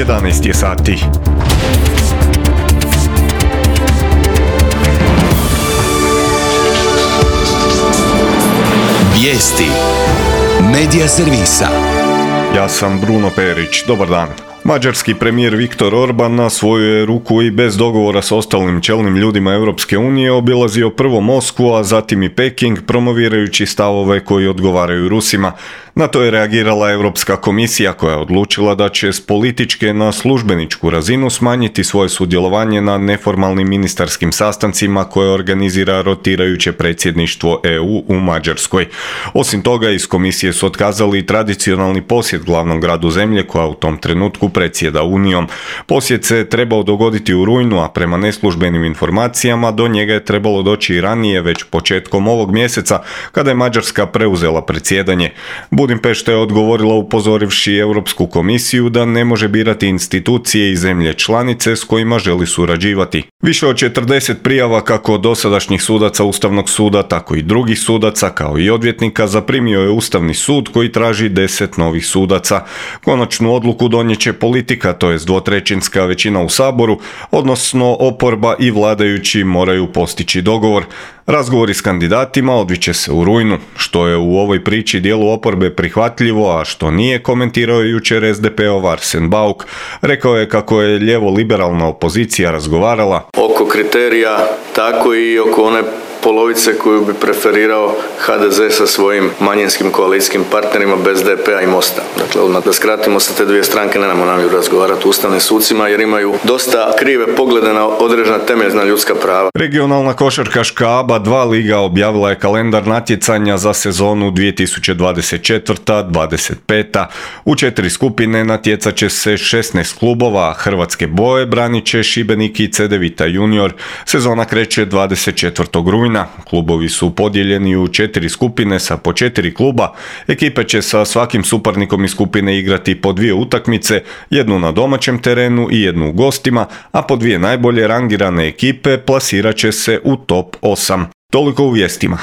11 je sati. Vijesti Medija servisa. Ja sam Bruno Perić, dobar dan. Mađarski premijer Viktor Orban na svoju je ruku i bez dogovora s ostalim čelnim ljudima Europske unije obilazio prvo Moskvu, a zatim i Peking, promovirajući stavove koji odgovaraju Rusima. Na to je reagirala Europska komisija koja je odlučila da će s političke na službeničku razinu smanjiti svoje sudjelovanje na neformalnim ministarskim sastancima koje organizira rotirajuće predsjedništvo EU u Mađarskoj. Osim toga, iz komisije su otkazali tradicionalni posjet glavnom gradu zemlje koja u tom trenutku predsjeda Unijom. Posjet se trebao dogoditi u rujnu, a prema neslužbenim informacijama do njega je trebalo doći i ranije, već početkom ovog mjeseca, kada je Mađarska preuzela predsjedanje. Budimpešta je odgovorila upozorivši Europsku komisiju da ne može birati institucije i zemlje članice s kojima želi surađivati. Više od 40 prijava kako od dosadašnjih sudaca Ustavnog suda, tako i drugih sudaca, kao i odvjetnika, zaprimio je Ustavni sud koji traži 10 novih sudaca. Konačnu odluku donijet će politika, to jest dvotrećinska većina u Saboru, odnosno oporba i vladajući moraju postići dogovor. Razgovori s kandidatima odviće se u rujnu. Što je u ovoj priči dijelu oporbe prihvatljivo, a što nije, komentirao je jučer SDP-ov Arsen Bauk. Rekao je kako je lijevo-liberalna opozicija razgovarala oko kriterija, tako i oko one polovice koju bi preferirao HDZ sa svojim manjinskim koalicijskim partnerima bez DP-a i Mosta. Dakle, odmah da skratimo, sa te dvije stranke nemamo namjeru razgovarati o ustavnim sucima jer imaju dosta krive poglede na određena temeljna ljudska prava. Regionalna košarkaška ABA 2 liga objavila je kalendar natjecanja za sezonu 2024-25. U 4 skupine natjecat će se 16 klubova, Hrvatske boje branit će Šibenik i Cedevita junior. Sezona kreće 24. rujna. Klubovi su podijeljeni u 4 skupine sa po 4 kluba. Ekipe će sa svakim suparnikom iz skupine igrati po 2 utakmice, jednu na domaćem terenu i jednu u gostima, a po 2 najbolje rangirane ekipe plasirat će se u top 8. Toliko u vijestima.